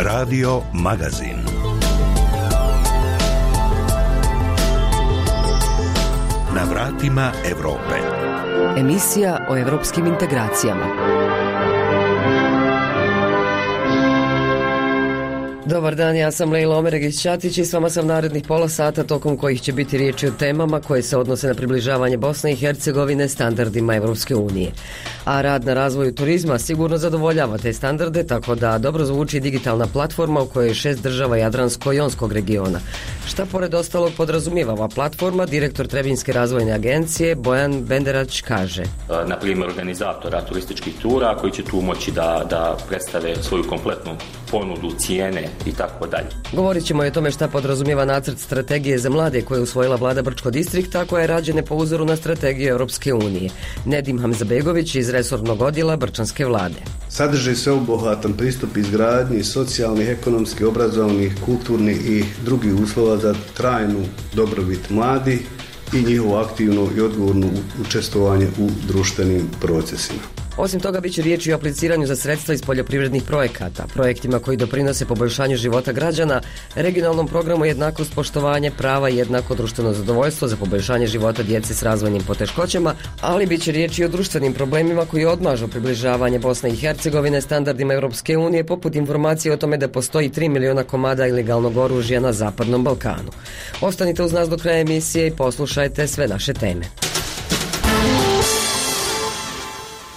Radio Magazin. Na vratima Europe. Emisija o evropskim integracijama. Dobar dan, ja sam Lejla Omeregić-Ćatić i s vama sam narednih pola sata tokom kojih će biti riječi o temama koje se odnose na približavanje Bosne i Hercegovine standardima Evropske unije. A rad na razvoju turizma sigurno zadovoljava te standarde, tako da dobro zvuči digitalna platforma u kojoj je 6 država Jadransko-jonskog regiona. Šta pored ostalog podrazumijeva ova platforma, direktor Trebinjske razvojne agencije Bojan Benderać kaže. Na primjer organizatora turističkih tura koji će tu moći da predstave svoju kompletnu ponudu, cijene i tako dalje. Govorit ćemo i o tome šta podrazumijeva nacrt strategije za mlade koje je usvojila vlada Brčkog distrikta, koja je rađena po uzoru na strategiju Europske unije. Nedim Hamzabegović iz resornog odjela Brčanske vlade. Sadrži sveobuhvatan pristup izgradnji socijalnih, ekonomskih, obrazovnih, kulturnih i drugih uslova za trajnu dobrobit mladih i njihovo aktivno i odgovorno učestvovanje u društvenim procesima. Osim toga, bit će riječi o apliciranju za sredstva iz poljoprivrednih projekata, projektima koji doprinose poboljšanju života građana, regionalnom programu jednakost, poštovanje prava i jednako društveno zadovoljstvo za poboljšanje života djece s razvojnim poteškoćama, ali bit će riječi o društvenim problemima koji odmažu približavanje Bosne i Hercegovine standardima Europske unije, poput informacije o tome da postoji 3 miliona komada ilegalnog oružja na Zapadnom Balkanu. Ostanite uz nas do kraja emisije i poslušajte sve naše teme.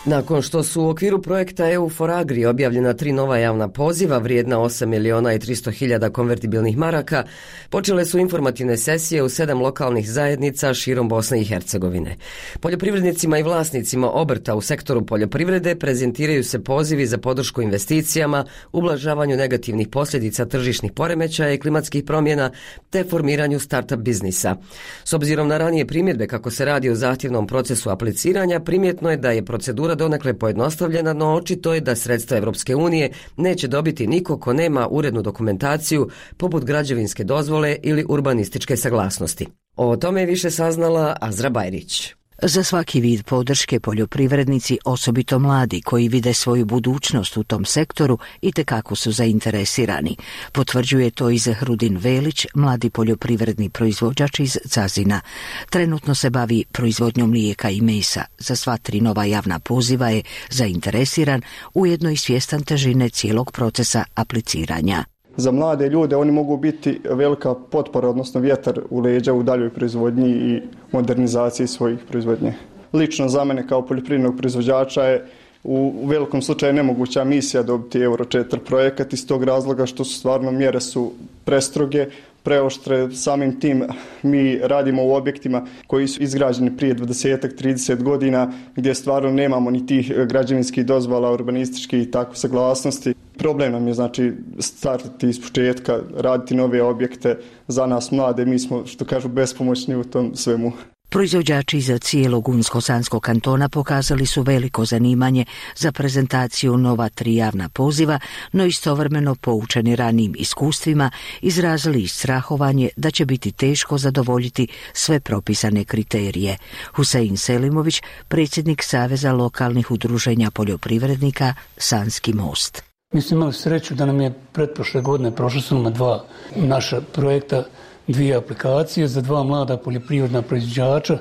Nakon što su u okviru projekta EU4Agri objavljena 3 nova javna poziva vrijedna 8 miliona i 300 hiljada konvertibilnih maraka, počele su informativne sesije u 7 lokalnih zajednica širom Bosne i Hercegovine. Poljoprivrednicima i vlasnicima obrta u sektoru poljoprivrede prezentiraju se pozivi za podršku investicijama, ublažavanju negativnih posljedica tržišnih poremećaja i klimatskih promjena te formiranju startup biznisa. S obzirom na ranije primjedbe kako se radi o zahtjevnom procesu apliciranja, primjetno je da je procedura donekle pojednostavljena, no očito je da sredstva Evropske unije neće dobiti niko ko nema urednu dokumentaciju poput građevinske dozvole ili urbanističke saglasnosti. O tome je više saznala Azra Bajrić. Za svaki vid podrške poljoprivrednici, osobito mladi koji vide svoju budućnost u tom sektoru, itekako su zainteresirani. Potvrđuje to i Zehrudin Velić, mladi poljoprivredni proizvođač iz Cazina. Trenutno se bavi proizvodnjom mlijeka i mesa. Za sva 3 nova javna poziva je zainteresiran, ujedno i svjestan težine cijelog procesa apliciranja. Za mlade ljude oni mogu biti velika potpora, odnosno vjetar u leđa u daljoj proizvodnji i modernizaciji svojih proizvodnje. Lično za mene kao poljoprivrednog proizvođača je u velikom slučaju nemoguća misija dobiti Euro 4 projekat iz tog razloga što su stvarno mjere su prestroge, preoštre. Samim tim mi radimo u objektima koji su izgrađeni prije 20-30 godina gdje stvarno nemamo ni tih građevinskih dozvola, urbanističkih i tako saglasnosti. Problem nam je znači startati iz početka, raditi nove objekte. Za nas mlade, mi smo, što kažu, bespomoćni u tom svemu. Proizvođači iz cijelog Unsko-Sanskog kantona pokazali su veliko zanimanje za prezentaciju nova 3 javna poziva, no istovremeno poučeni ranijim iskustvima izrazili i strahovanje da će biti teško zadovoljiti sve propisane kriterije. Husein Selimović, predsjednik Saveza lokalnih udruženja poljoprivrednika Sanski most. Mi smo imali sreću da nam je pretprošle godine prošlo su nam 2 naša projekta, 2 aplikacije za 2 mlada poljoprivredna proizvođača,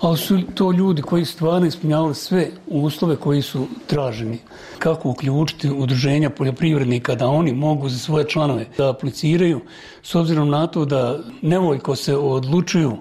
ali su to ljudi koji stvarno ispunjavali sve uslove koji su traženi. Kako uključiti udruženja poljoprivrednika da oni mogu za svoje članove da apliciraju, s obzirom na to da nevoljko se odlučuju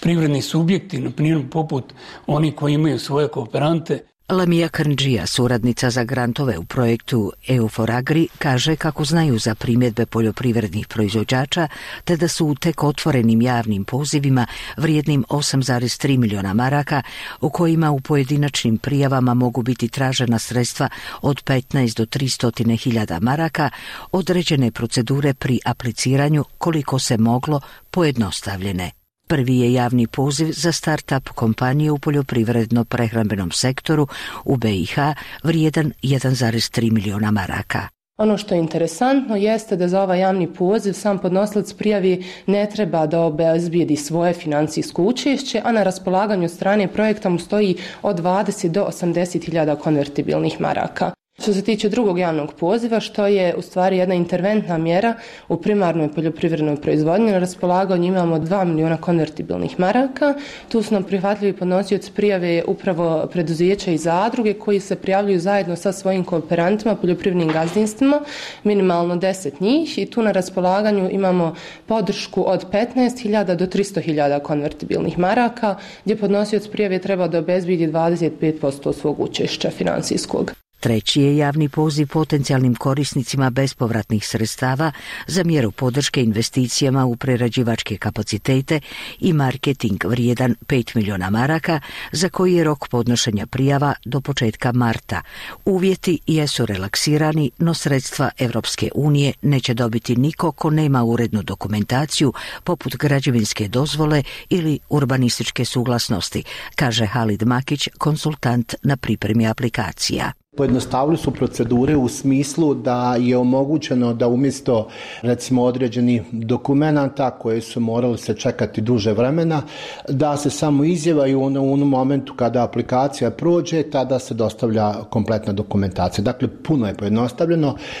privredni subjekti, na primjer poput oni koji imaju svoje kooperante. Lamija Krndžija, suradnica za grantove u projektu EU4Agri, kaže kako znaju za primjedbe poljoprivrednih proizvođača, te da su u tek otvorenim javnim pozivima vrijednim 8,3 miliona maraka, u kojima u pojedinačnim prijavama mogu biti tražena sredstva od 15 do 300 hiljada maraka, određene procedure pri apliciranju koliko se moglo pojednostavljene. Prvi je javni poziv za start-up kompanije u poljoprivredno-prehrambenom sektoru u BiH vrijedan 1,3 miliona maraka. Ono što je interesantno jeste da za ovaj javni poziv sam podnosilac prijavi ne treba da obezbijedi svoje financijsko učešće, a na raspolaganju strane projekta mu stoji od 20 do 80 hiljada konvertibilnih maraka. Što se tiče drugog javnog poziva, što je u stvari jedna interventna mjera u primarnoj poljoprivrednoj proizvodnji, na raspolaganju imamo 2 miliona konvertibilnih maraka. Tu su nam prihvatljivi podnosioci prijave upravo preduzeća i zadruge koji se prijavljuju zajedno sa svojim kooperantima, poljoprivrednim gazdinstvima, minimalno 10 njih, i tu na raspolaganju imamo podršku od 15.000 do 300.000 konvertibilnih maraka, gdje podnosioc prijave treba da obezbijedi 25% svog učešća financijskog. Treći je javni poziv potencijalnim korisnicima bespovratnih sredstava za mjeru podrške investicijama u prerađivačke kapacitete i marketing vrijedan 5 miliona maraka, za koji je rok podnošenja prijava do početka marta. Uvjeti jesu relaksirani, no sredstva Europske unije neće dobiti niko ko nema urednu dokumentaciju poput građevinske dozvole ili urbanističke suglasnosti, kaže Halid Makić, konsultant na pripremi aplikacija. Pojednostavili su procedure u smislu da je omogućeno da umjesto recimo određenih dokumenata koje su morali se čekati duže vremena, da se samo izjavaju u onom momentu kada aplikacija prođe, tada se dostavlja kompletna dokumentacija. Dakle, puno je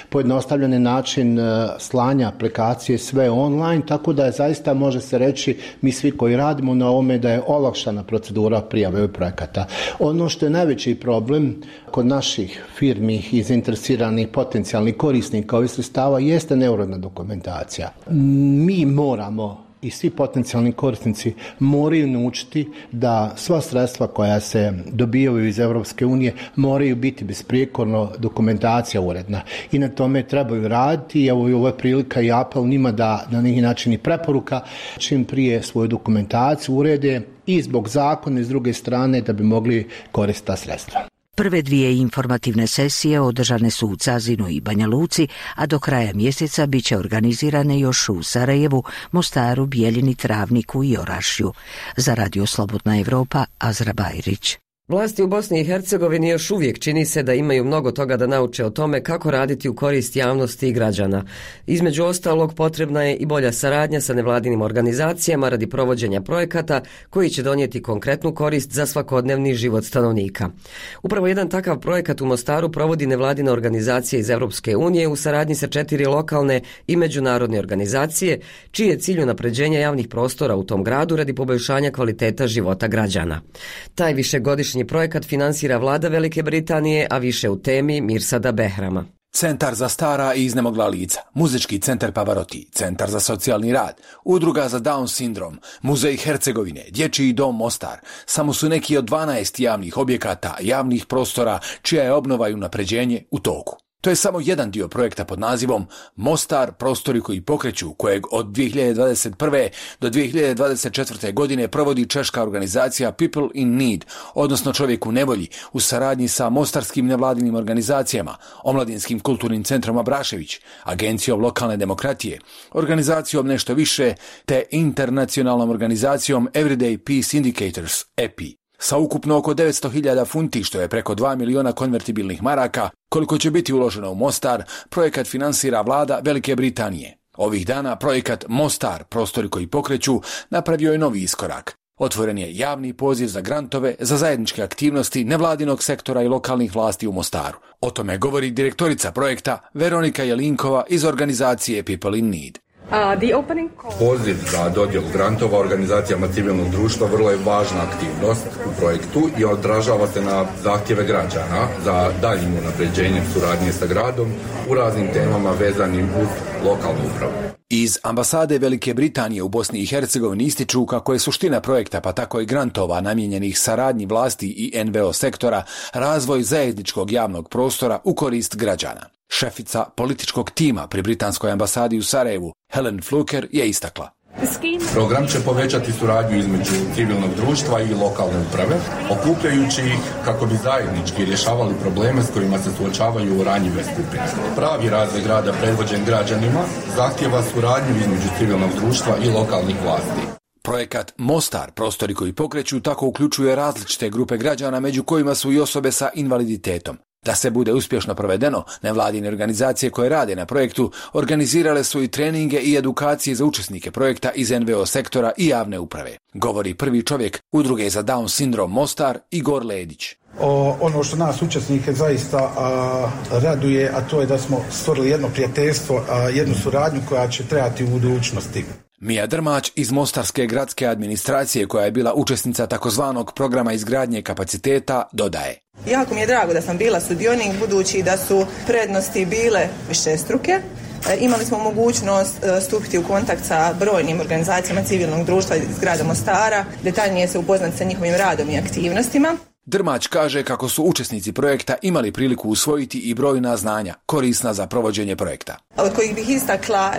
pojednostavljen je način slanja aplikacije sve online, tako da je zaista, može se reći, mi svi koji radimo na ovome, da je olakšana procedura prijave projekata. Ono što je najveći problem kod naših firmi i zainteresiranih potencijalnih korisnika ovih sredstava jeste neuredna dokumentacija. Mi moramo i svi potencijalni korisnici moraju naučiti da sva sredstva koja se dobivaju iz Europske unije moraju biti besprijekorno dokumentacija uredna. I na tome trebaju raditi, i evo ovo je prilika i apel njima da na neki način i preporuka čim prije svoju dokumentaciju urede i zbog zakona i s druge strane da bi mogli koristiti ta sredstva. Prve dvije informativne sesije održane su u Cazinu i Banja Luci, a do kraja mjeseca bit će organizirane još u Sarajevu, Mostaru, Bijeljini, Travniku i Orašju. Za Radio Slobodna Evropa, Azra Bajrić. Vlasti u Bosni i Hercegovini još uvijek čini se da imaju mnogo toga da nauče o tome kako raditi u korist javnosti i građana. Između ostalog, potrebna je i bolja saradnja sa nevladinim organizacijama radi provođenja projekata koji će donijeti konkretnu korist za svakodnevni život stanovnika. Upravo jedan takav projekat u Mostaru provodi nevladina organizacija iz Europske unije u saradnji sa 4 lokalne i međunarodne organizacije, čiji je cilj unapređenja javnih prostora u tom gradu radi poboljšanja kvaliteta života građana. Taj višegodišnji projekat finansira vlada Velike Britanije, a više u temi Mirsada Behrama. Centar za stara i iznemogla lica, Muzički centar Pavaroti, Centar za socijalni rad, Udruga za Down sindrom, Muzej Hercegovine, Dječji dom Mostar, samo su neki od 12 javnih objekata, javnih prostora, čija je obnova i unapređenje u toku. To je samo jedan dio projekta pod nazivom Mostar, prostori koji pokreću, kojeg od 2021. do 2024. godine provodi češka organizacija People in Need, odnosno Čovjek u nevolji, u saradnji sa mostarskim nevladinim organizacijama, Omladinskim kulturnim centrom Abrašević, Agencijom lokalne demokratije, organizacijom Nešto više, te internacionalnom organizacijom Everyday Peace Indicators, EPI. Sa ukupno oko 900.000 funti, što je preko 2 miliona konvertibilnih maraka, koliko će biti uloženo u Mostar, projekat finansira vlada Velike Britanije. Ovih dana projekat Mostar, prostori koji pokreću, napravio je novi iskorak. Otvoren je javni poziv za grantove za zajedničke aktivnosti nevladinog sektora i lokalnih vlasti u Mostaru. O tome govori direktorica projekta Veronika Jelinkova iz organizacije People in Need. Poziv za dodjelu grantova organizacijama civilnog društva vrlo je važna aktivnost u projektu i odražava se na zahtjeve građana za daljnjim unapređenjem suradnje sa gradom u raznim temama vezanim uz lokalnu upravu. Iz ambasade Velike Britanije u Bosni i Hercegovini ističu kako je suština projekta, pa tako i grantova namijenjenih saradnji vlasti i NVO sektora, razvoj zajedničkog javnog prostora u korist građana. Šefica političkog tima pri britanskoj ambasadi u Sarajevu, Helen Fluker, je istakla. Program će povećati suradnju između civilnog društva i lokalne uprave, okupljajući ih kako bi zajednički rješavali probleme s kojima se suočavaju ranjive skupine. Pravi razvoj grada predvođen građanima zahtjeva suradnju između civilnog društva i lokalnih vlasti. Projekat Mostar, prostori koji pokreću, tako uključuje različite grupe građana, među kojima su i osobe sa invaliditetom. Da se bude uspješno provedeno, nevladine organizacije koje rade na projektu organizirale su i treninge i edukacije za učesnike projekta iz NVO sektora i javne uprave. Govori prvi čovjek Udruge za Down sindrom Mostar, Igor Ledić. Ono što nas učesnike zaista raduje, a to je da smo stvorili jedno prijateljstvo, jednu suradnju koja će trajati u budućnosti. Mija Drmać iz Mostarske gradske administracije, koja je bila učesnica takozvanog programa izgradnje kapaciteta, dodaje. Jako mi je drago da sam bila sudionik, budući da su prednosti bile višestruke. Imali smo mogućnost stupiti u kontakt sa brojnim organizacijama civilnog društva iz grada Mostara, detaljnije se upoznati sa njihovim radom i aktivnostima. Drmać kaže kako su učesnici projekta imali priliku usvojiti i brojna znanja korisna za provođenje projekta. Od kojih bih istakla,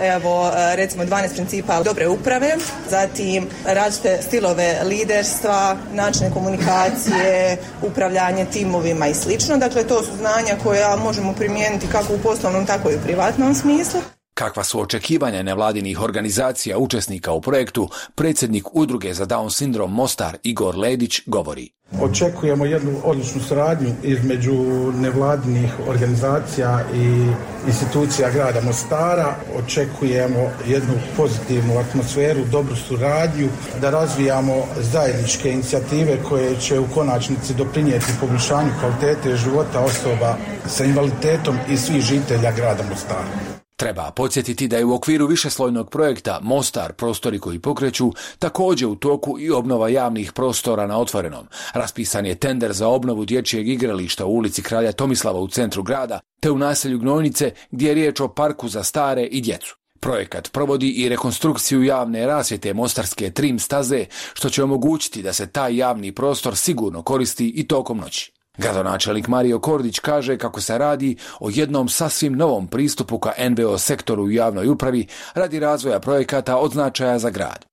recimo 12 principa dobre uprave, zatim različite stilove liderstva, načine komunikacije, upravljanje timovima i slično. Dakle, to su znanja koja možemo primijeniti kako u poslovnom, tako i u privatnom smislu. Kakva su očekivanja nevladinih organizacija učesnika u projektu, predsjednik Udruge za Down sindrom Mostar Igor Ledić govori. Očekujemo jednu odličnu suradnju između nevladinih organizacija i institucija grada Mostara. Očekujemo jednu pozitivnu atmosferu, dobru suradnju, da razvijamo zajedničke inicijative koje će u konačnici doprinijeti poboljšanju kvalitete života osoba sa invaliditetom i svih žitelja grada Mostara. Treba podsjetiti da je u okviru višeslojnog projekta Mostar, prostori koji pokreću, također u toku i obnova javnih prostora na otvorenom. Raspisan je tender za obnovu dječjeg igrališta u ulici Kralja Tomislava u centru grada, te u naselju Gnojnice, gdje je riječ o parku za stare i djecu. Projekat provodi i rekonstrukciju javne rasvjete mostarske trim staze, što će omogućiti da se taj javni prostor sigurno koristi i tokom noći. Gradonačelnik Mario Kordić kaže kako se radi o jednom sasvim novom pristupu ka NVO sektoru u javnoj upravi radi razvoja projekata od značaja za grad.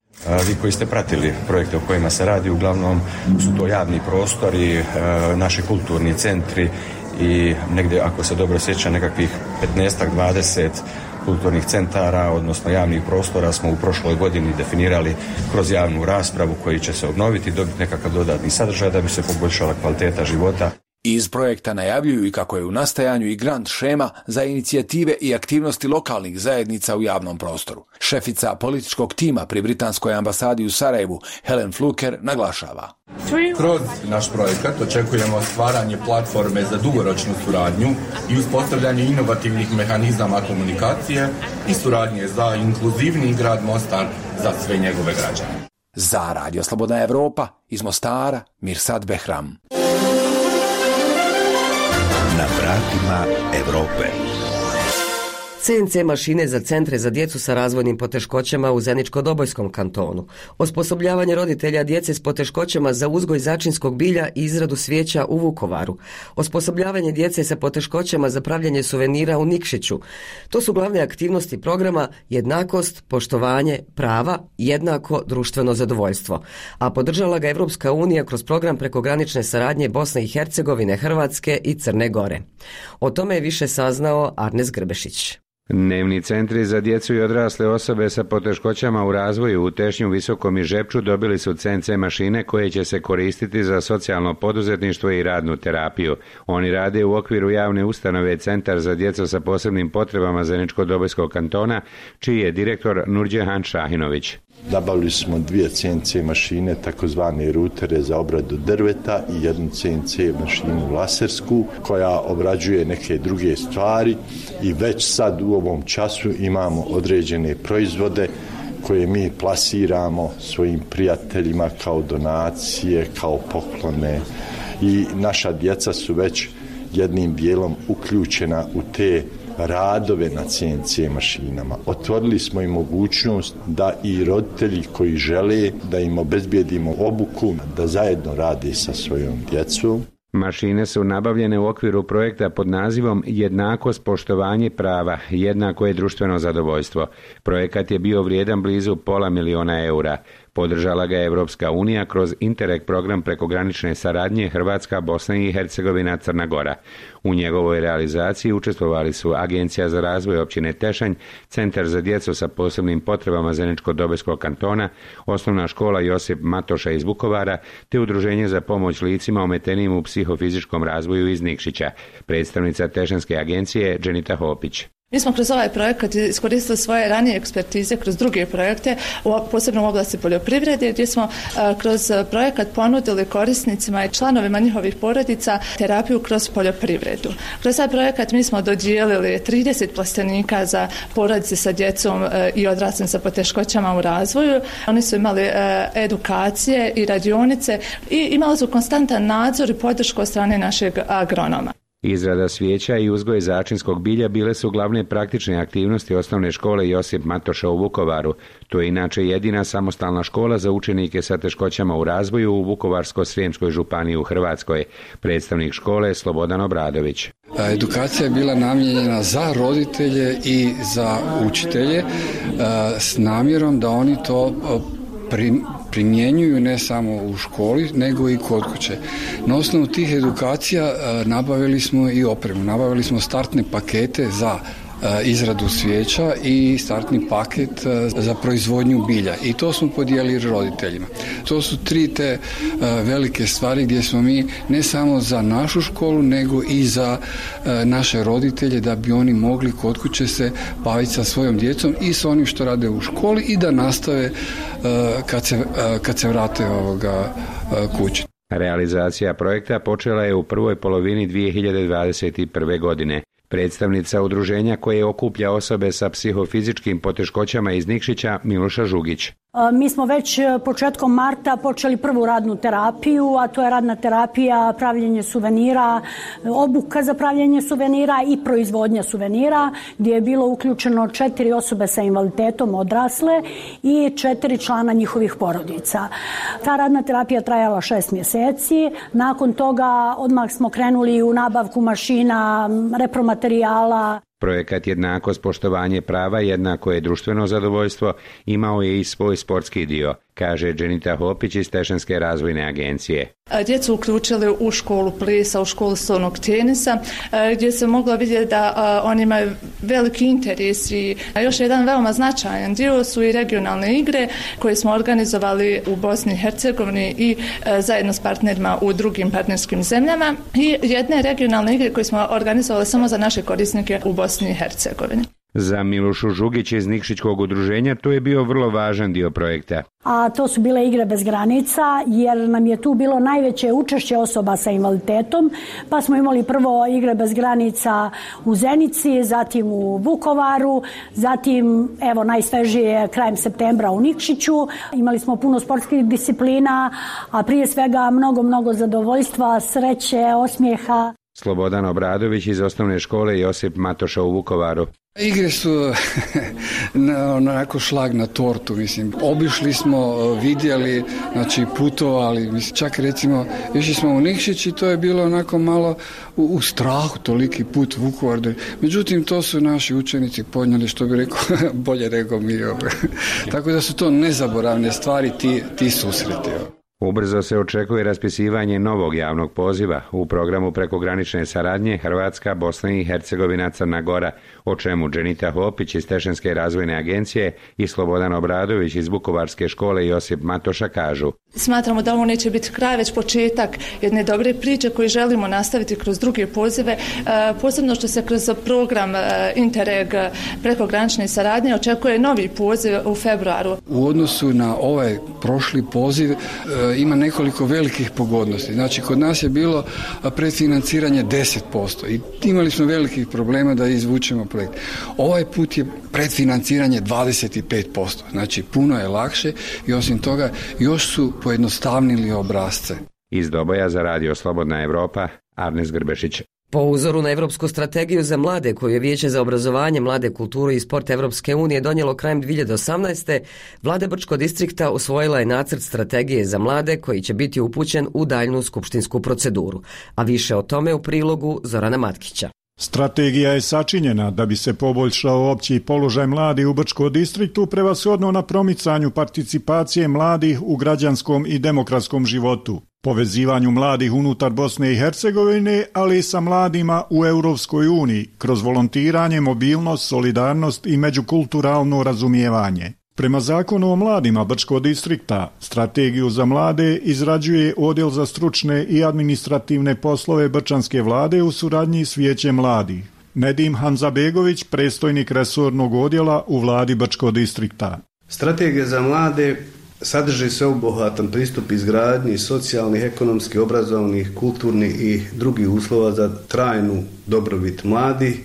Vi koji ste pratili projekte o kojima se radi, uglavnom su to javni prostori, naši kulturni centri i negdje, ako se dobro sjećam, nekakvih 15-20 kulturnih centara, odnosno javnih prostora smo u prošloj godini definirali kroz javnu raspravu koji će se obnoviti, dobiti nekakav dodatni sadržaj da bi se poboljšala kvaliteta života. Iz projekta najavljuju i kako je u nastajanju i grant šema za inicijative i aktivnosti lokalnih zajednica u javnom prostoru. Šefica političkog tima pri Britanskoj ambasadi u Sarajevu, Helen Fluker, naglašava. Kroz naš projekat očekujemo stvaranje platforme za dugoročnu suradnju i uspostavljanje inovativnih mehanizama komunikacije i suradnje za inkluzivni grad Mostar za sve njegove građane. Za Radio Slobodna Evropa iz Mostara, Mirsad Behram. Na vratima Europe. CNC mašine za centre za djecu sa razvojnim poteškoćama u Zeničko-Dobojskom kantonu, osposobljavanje roditelja djece s poteškoćama za uzgoj začinskog bilja i izradu svijeća u Vukovaru, osposobljavanje djece sa poteškoćama za pravljenje suvenira u Nikšiću. To su glavne aktivnosti programa Jednakost, poštovanje, prava, jednako društveno zadovoljstvo, a podržala ga Evropska unija kroz program prekogranične saradnje Bosne i Hercegovine, Hrvatske i Crne Gore. O tome je više saznao Arnes Grbešić. Dnevni centri za djecu i odrasle osobe sa poteškoćama u razvoju u Tešnju, Visokom i Žepču dobili su CNC mašine koje će se koristiti za socijalno poduzetništvo i radnu terapiju. Oni rade u okviru javne ustanove Centar za djecu sa posebnim potrebama Zeničko-Dobojskog kantona, čiji je direktor Nurđehan Šahinović. Nabavili smo 2 CNC mašine, takozvane rutere za obradu drveta i jednu CNC mašinu lasersku koja obrađuje neke druge stvari i već sad u ovom času imamo određene proizvode koje mi plasiramo svojim prijateljima kao donacije, kao poklone i naša djeca su već jednim dijelom uključena u te radove na CNC mašinama. Otvorili smo i mogućnost da i roditelji koji žele da im obezbijedimo obuku, da zajedno rade sa svojom djecom. Mašine su nabavljene u okviru projekta pod nazivom Jednakost, poštovanje, prava, jednako je društveno zadovoljstvo. Projekat je bio vrijedan blizu $500.000. Podržala ga je Evropska unija kroz Interreg program prekogranične saradnje Hrvatska, Bosna i Hercegovina, Crna Gora. U njegovoj realizaciji učestvovali su Agencija za razvoj općine Tešanj, Centar za djecu sa posebnim potrebama Zeničko-Dobojskog kantona, Osnovna škola Josip Matoša iz Vukovara, te Udruženje za pomoć licima ometenim u psihofizičkom razvoju iz Nikšića. Predstavnica Tešanske agencije Dženita Hopić. Mi smo kroz ovaj projekat iskoristili svoje ranije ekspertize kroz druge projekte, posebno u oblasti poljoprivrede, gdje smo kroz projekat ponudili korisnicima i članovima njihovih porodica terapiju kroz poljoprivredu. Kroz taj projekat mi smo dodijelili 30 plastenika za porodice sa djecom i odraslim sa poteškoćama u razvoju. Oni su imali edukacije i radionice i imali su konstantan nadzor i podršku od strane našeg agronoma. Izrada svijeća i uzgoj začinskog bilja bile su glavne praktične aktivnosti osnovne škole Josip Matoša u Vukovaru. To je inače jedina samostalna škola za učenike sa teškoćama u razvoju u Vukovarsko-srijemskoj županiji u Hrvatskoj. Predstavnik škole Slobodan Obradović. Edukacija je bila namijenjena za roditelje i za učitelje s namjerom da oni to primjenjuju ne samo u školi, nego i kod kuće. Na osnovu tih edukacija nabavili smo i opremu. Nabavili smo startne pakete za izradu svijeća i startni paket za proizvodnju bilja. I to smo podijelili roditeljima. To su 3 te velike stvari gdje smo mi ne samo za našu školu, nego i za naše roditelje, da bi oni mogli kod kuće se baviti sa svojom djecom i s onim što rade u školi i da nastave kad se vrate kući. Realizacija projekta počela je u prvoj polovini 2021. godine. Predstavnica udruženja koje okuplja osobe sa psihofizičkim poteškoćama iz Nikšića, Miloša Žugić. Mi smo već početkom marta počeli prvu radnu terapiju, a to je radna terapija pravljenje suvenira, obuka za pravljenje suvenira i proizvodnja suvenira, gdje je bilo uključeno 4 osobe sa invaliditetom odrasle i 4 člana njihovih porodica. Ta radna terapija trajala 6 mjeseci. Nakon toga odmah smo krenuli u nabavku mašina, repromaterijala. Projekat Jednakost, poštovanje prava, jednako je društveno zadovoljstvo, imao je i svoj sportski dio, kaže Dženita Hopić iz Tešanske razvojne agencije. Djecu uključili u školu plesa, u školu stolnog tenisa, gdje se moglo vidjeti da oni imaju veliki interes i još jedan veoma značajan dio su i regionalne igre koje smo organizovali u Bosni i Hercegovini i zajedno s partnerima u drugim partnerskim zemljama i jedne regionalne igre koje smo organizovali samo za naše korisnike u Bosni i Hercegovini. Za Milošu Žugić iz Nikšićkog udruženja to je bio vrlo važan dio projekta. A to su bile igre bez granica, jer nam je tu bilo najveće učešće osoba sa invaliditetom, pa smo imali prvo igre bez granica u Zenici, zatim u Vukovaru, zatim evo najsvežije krajem septembra u Nikšiću. Imali smo puno sportskih disciplina, a prije svega mnogo zadovoljstva, sreće, osmijeha. Slobodan Obradović iz osnovne škole Josip Matoša u Vukovaru. Igre su onako šlag na tortu, mislim. Obišli smo, vidjeli, znači putovali, mislim, čak recimo išli smo u Nikšić i to je bilo onako malo u strahu, toliki put Vukovar. Međutim, to su naši učenici podnijeli, što bi rekao, bolje rekao mi. Tako da su to nezaboravne stvari, ti susreti. Ubrzo se očekuje raspisivanje novog javnog poziva u programu prekogranične saradnje Hrvatska, Bosna i Hercegovina, Crna Gora, o čemu Dženita Hopić iz Tešanske razvojne agencije i Slobodan Obradović iz Vukovarske škole Josip Matoša kažu. Smatramo da ovo neće biti kraj, već početak jedne dobre priče koju želimo nastaviti kroz druge pozive, posebno što se kroz program Interreg prekogranične saradnje očekuje novi poziv u februaru. U odnosu na ovaj prošli poziv ima nekoliko velikih pogodnosti. Znači, kod nas je bilo predfinanciranje 10% i imali smo velikih problema da izvučemo projekt. Ovaj put je predfinanciranje 25%. Znači, puno je lakše i osim toga još su pojednostavnili obrasce. Iz Doboja za Radio Slobodna Evropa, Arnes Grbešić. Po uzoru na Evropsku strategiju za mlade koju je Vijeće za obrazovanje, mlade, kulturu i sport Evropske unije donijelo krajem 2018. Vlada Brčkog distrikta usvojila je nacrt strategije za mlade koji će biti upućen u daljnju skupštinsku proceduru. A više o tome u prilogu Zorana Matkića. Strategija je sačinjena da bi se poboljšao opći položaj mladih u Brčkom distriktu, prevashodno na promicanju participacije mladih u građanskom i demokratskom životu, povezivanju mladih unutar Bosne i Hercegovine, ali i sa mladima u Europskoj uniji, kroz volontiranje, mobilnost, solidarnost i međukulturalno razumijevanje. Prema Zakonu o mladima Brčkog distrikta, strategiju za mlade izrađuje Odjel za stručne i administrativne poslove Brčanske vlade u suradnji s Vijećem mladih. Nedim Hanzabegović, predstojnik resornog odjela u vladi Brčkog distrikta. Strategija za mlade sadrži sveobuhvatan pristup izgradnji socijalnih, ekonomskih, obrazovnih, kulturnih i drugih uslova za trajnu dobrobit mladih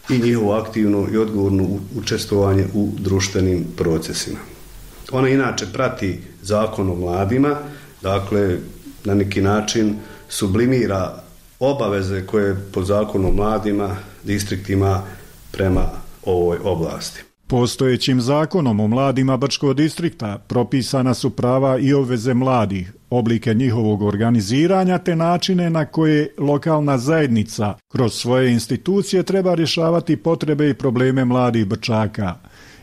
i njihovo aktivno i odgovorno učestvovanje u društvenim procesima. Ona inače prati Zakon o mladima, dakle na neki način sublimira obaveze koje po Zakonu o mladima distrikt ima prema ovoj oblasti. Postojećim Zakonom o mladima Brčkog distrikta propisana su prava i obveze mladih, oblike njihovog organiziranja te načine na koje lokalna zajednica kroz svoje institucije treba rješavati potrebe i probleme mladih Brčaka.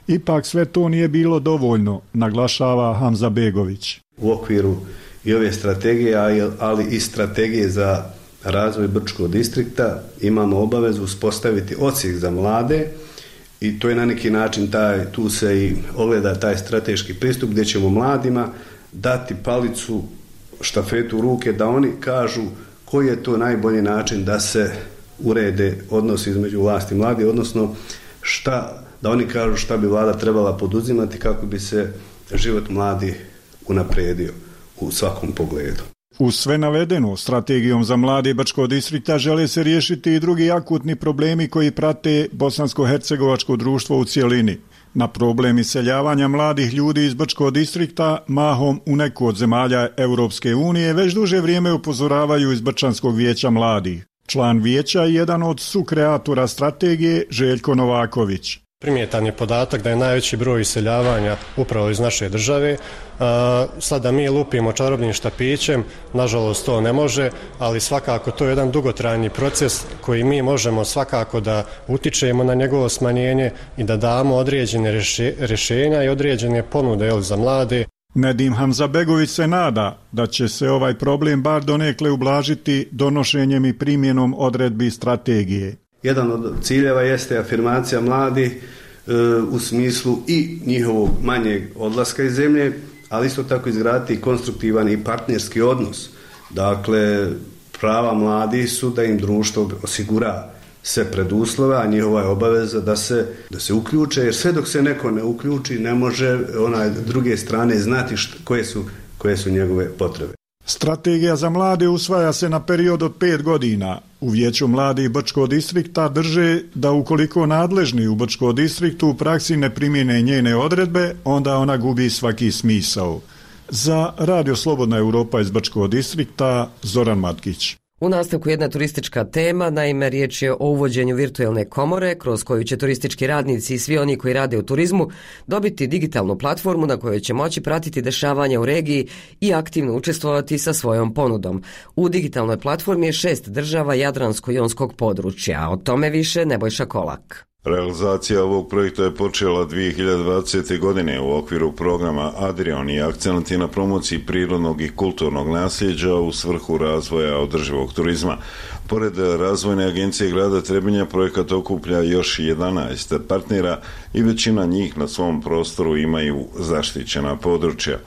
Ipak sve to nije bilo dovoljno, naglašava Hanzabegović. U okviru i ove strategije, ali i strategije za razvoj Brčkog distrikta imamo obavezu uspostaviti odsjek za mlade. I to je na neki način, tu se i ogleda taj strateški pristup gdje ćemo mladima dati palicu, štafetu u ruke da oni kažu koji je to najbolji način da se urede odnosi između vlasti i mladih, odnosno da oni kažu šta bi vlada trebala poduzimati kako bi se život mladih unaprijedio u svakom pogledu. Uz sve navedeno, strategijom za mlade Brčkog distrikta žele se riješiti i drugi akutni problemi koji prate bosansko-hercegovačko društvo u cjelini. Na problem iseljavanja mladih ljudi iz Brčkog distrikta, mahom u neku od zemalja Europske unije, već duže vrijeme upozoravaju iz Brčanskog vijeća mladih. Član vijeća je jedan od sukreatora strategije, Željko Novaković. Primjetan je podatak da je najveći broj iseljavanja upravo iz naše države. Sada mi lupimo čarobnim štapićem, nažalost to ne može, ali svakako to je jedan dugotrajni proces koji mi možemo svakako da utičemo na njegovo smanjenje i da damo određene rješenja i određene ponude za mlade. Nedim Hanzabegović se nada da će se ovaj problem bar donekle ublažiti donošenjem i primjenom odredbi strategije. Jedan od ciljeva jeste afirmacija mladih u smislu i njihovog manjeg odlaska iz zemlje, ali isto tako izgraditi konstruktivan i partnerski odnos. Dakle, prava mladih su da im društvo osigura sve preduslove, a njihova je obaveza da se uključe, jer sve dok se neko ne uključi ne može druge strane znati koje su njegove potrebe. Strategija za mlade usvaja se na period od 5 godina. U Vijeću mladih Brčkog distrikta drže da ukoliko nadležni u Brčkom distriktu u praksi ne primjene njene odredbe, onda ona gubi svaki smisao. Za Radio Slobodna Europa iz Brčkog distrikta, Zoran Matkić. U nastavku jedna turistička tema, naime riječ je o uvođenju virtualne komore kroz koju će turistički radnici i svi oni koji rade u turizmu dobiti digitalnu platformu na kojoj će moći pratiti dešavanja u regiji i aktivno učestvovati sa svojom ponudom. U digitalnoj platformi je 6 država Jadransko-jonskog područja, o tome više Nebojša Kolak. Realizacija ovog projekta je počela 2020. godine u okviru programa Adrion i akcent je na promociji prirodnog i kulturnog nasljeđa u svrhu razvoja održivog turizma. Pored Razvojne agencije grada Trebinja projekat okuplja još 11 partnera i većina njih na svom prostoru imaju zaštićena područja.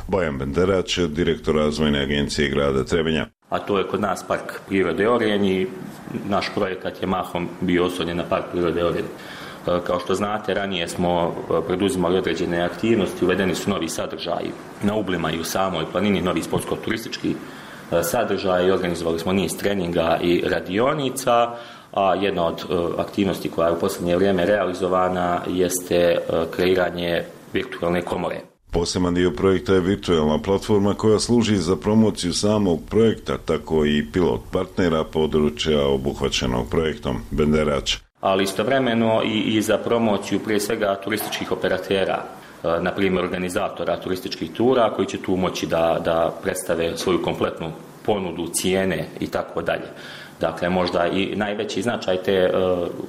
Bojan Benderać, direktor Razvojne agencije grada Trebinja. A to je kod nas Park prirode Orjen i naš projekat je mahom bio oslonjen na Park prirode Orjen. Kao što znate, ranije smo preduzimali određene aktivnosti, uvedeni su novi sadržaji na Ublima i u samoj planini, novi sportsko-turistički sadržaj i organizovali smo niz treninga i radionica, a jedna od aktivnosti koja je u posljednje vrijeme realizovana jeste kreiranje virtualne komore. Poseban dio projekta je virtualna platforma koja služi za promociju samog projekta, tako i pilot partnera područja obuhvaćenog projektom. Benderać. Ali istovremeno i za promociju prije svega turističkih operatera, na primjer organizatora turističkih tura koji će tu moći da predstave svoju kompletnu ponudu, cijene i tako dalje. Dakle, možda i najveći značaj te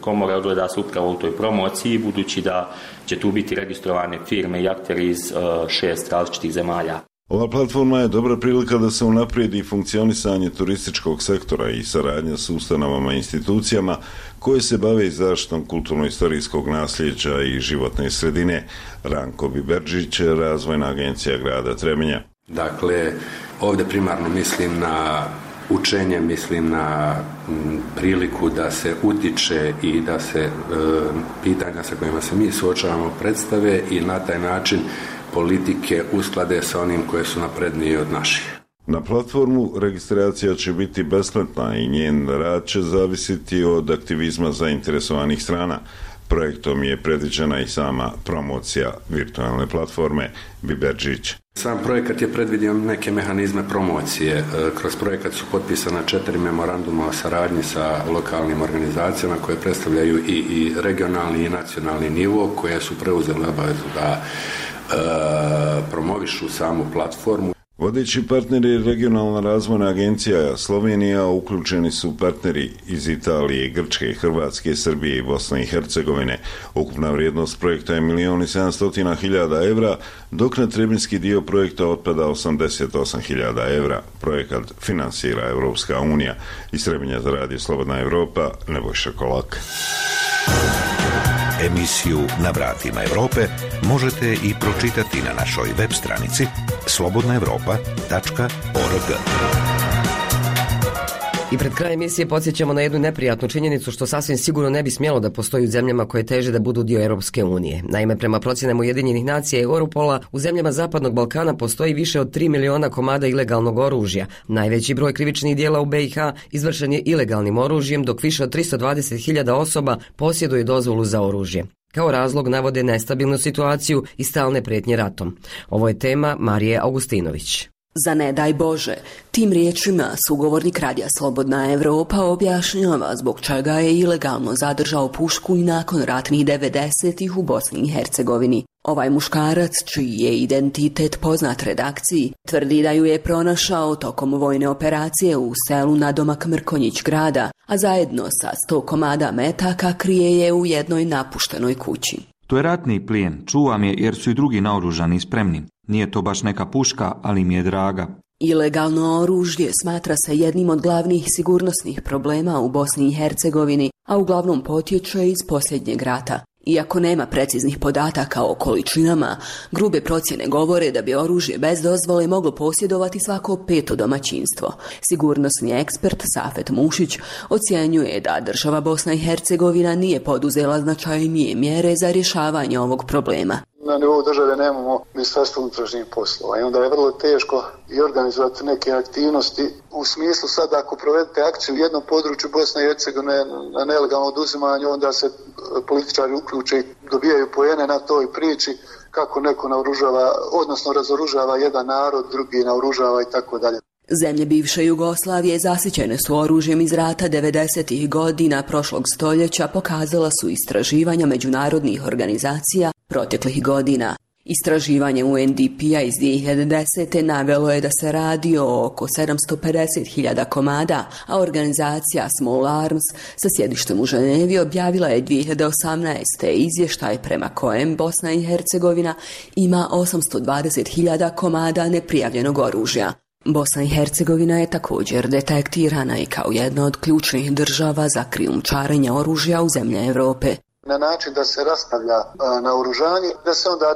komore ogleda se upravo u toj promociji, budući da će tu biti registrovane firme i akteri iz 6 različitih zemalja. Ova platforma je dobra prilika da se unaprijedi funkcionisanje turističkog sektora i saradnja s ustanovama i institucijama koje se bave zaštitom kulturno-istorijskog nasljeđa i životne sredine. Ranko Biberđić, Razvojna agencija grada Trebinja. Dakle, ovdje primarno mislim na učenje, mislim na priliku da se utiče i da se pitanja sa kojima se mi suočavamo predstave i na taj način politike usklade sa onim koje su naprednije od naših. Na platformu registracija će biti besplatna i njen rad će zavisiti od aktivizma zainteresovanih strana. Projektom je predviđena i sama promocija virtualne platforme. Biberđić. Sam projekat je predvidio neke mehanizme promocije. Kroz projekat su potpisana 4 memoranduma o saradnji sa lokalnim organizacijama koje predstavljaju i regionalni i nacionalni nivo, koje su preuzele obavezu da promovišu samu platformu. Vodeći partner je Regionalna razvojna agencija Slovenija, uključeni su partneri iz Italije, Grčke, Hrvatske, Srbije i Bosne i Hercegovine. Ukupna vrijednost projekta je 1.700.000 evra, dok na trebinski dio projekta otpada 88.000 evra. Projekat finansira Europska unija. Iz Trebinja za Radio Slobodna Evropa, Nebojša Kolak. Emisiju Na vratima Evrope možete i pročitati na našoj web stranici slobodnaevropa.org. I pred krajem emisije podsjećamo na jednu neprijatnu činjenicu što sasvim sigurno ne bi smjelo da postoji u zemljama koje teže da budu dio Europske unije. Naime, prema procjenama Ujedinjenih nacija i Europola, u zemljama Zapadnog Balkana postoji više od 3 miliona komada ilegalnog oružja. Najveći broj krivičnih djela u BiH izvršen je ilegalnim oružjem, dok više od 320.000 osoba posjeduje dozvolu za oružje. Kao razlog navode nestabilnu situaciju i stalne prijetnje ratom. Ovo je tema Marije Augustinović. Za ne daj Bože, tim riječima sugovornik Radija Slobodna Evropa objašnjava zbog čega je ilegalno zadržao pušku i nakon ratnih 90-ih u Bosni i Hercegovini. Ovaj muškarac, čiji je identitet poznat redakciji, tvrdi da ju je pronašao tokom vojne operacije u selu nadomak Mrkonjić grada, a zajedno sa 100 komada metaka krije je u jednoj napuštenoj kući. To je ratni plijen, čuvam je jer su i drugi naoružani i spremni. Nije to baš neka puška, ali mi je draga. Ilegalno oružje smatra se jednim od glavnih sigurnosnih problema u Bosni i Hercegovini, a uglavnom potječe iz posljednjeg rata. Iako nema preciznih podataka o količinama, grube procjene govore da bi oružje bez dozvole moglo posjedovati svako 5. domaćinstvo. Sigurnosni ekspert Safet Mušić ocjenjuje da država Bosna i Hercegovina nije poduzela značajnije mjere za rješavanje ovog problema. Na nivou države nemamo Ministarstvo unutrašnjih poslova i onda je vrlo teško i organizovati neke aktivnosti. U smislu sad ako provedete akciju u jednom području Bosne i Hercegovine na nelegalno oduzimanje, onda se političari uključe i dobijaju poene na toj priči kako neko naoružava, odnosno razoružava jedan narod, drugi naoružava i tako dalje. Zemlje bivše Jugoslavije zasićene su oružjem iz rata 90-ih godina prošlog stoljeća, pokazala su istraživanja međunarodnih organizacija proteklih godina. Istraživanje UNDP-a iz 2010. navelo je da se radi o oko 750.000 komada, a organizacija Small Arms sa sjedištem u Ženevi objavila je 2018. izvještaj prema kojem Bosna i Hercegovina ima 820.000 komada neprijavljenog oružja. Bosna i Hercegovina je također detektirana i kao jedna od ključnih država za krijumčarenje oružja u zemlje Europe. Na način da se rastavlja naoružanje, da se onda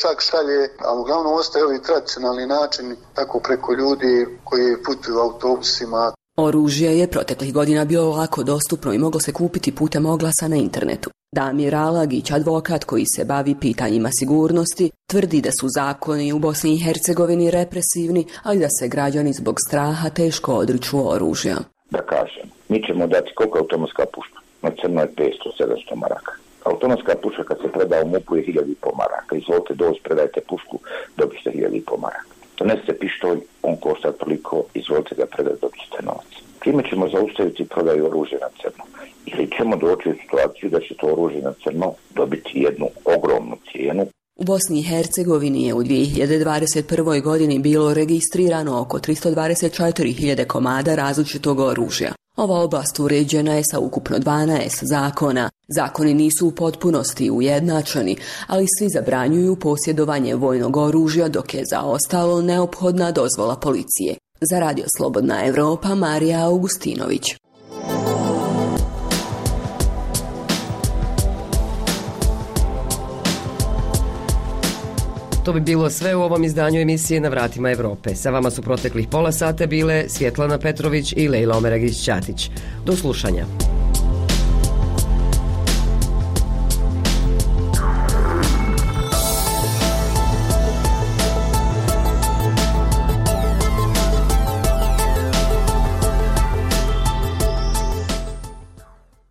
čak šalje, ali uglavnom ostaje ovi tradicionalni načini, tako preko ljudi koji putuju autobusima. Oružje je proteklih godina bilo lako dostupno i moglo se kupiti putem oglasa na internetu. Damir Alagić, advokat koji se bavi pitanjima sigurnosti, tvrdi da su zakoni u Bosni i Hercegovini represivni, ali da se građani zbog straha teško odriču oružja. Da kažem, mi ćemo dati koliko je automatska puška? Na crno je 500-700 maraka. Automatska puška kad se preda u MUP-u je 1.500 maraka. Izvolite doći, predajte pušku, dobite 1.500 maraka. Donesite pištolj, on košta toliko, izvolite ga predati, dobite novac. Time ćemo zaustaviti prodaju oružja na crno. Ili ćemo doći u situaciju da će to oružje na crno dobiti jednu ogromnu cijenu. U Bosni i Hercegovini je u 2021. godini bilo registrirano oko 324.000 komada različitog oružja. Ova oblast uređena je sa ukupno 12 zakona. Zakoni nisu u potpunosti ujednačeni, ali svi zabranjuju posjedovanje vojnog oružja, dok je za ostalo neophodna dozvola policije. Za Radio Slobodna Evropa, Marija Augustinović. To bi bilo sve u ovom izdanju emisije Na vratima Evrope. Sa vama su proteklih pola sata bile Svjetlana Petrović i Lejla Omeragić-Ćatić. Do slušanja.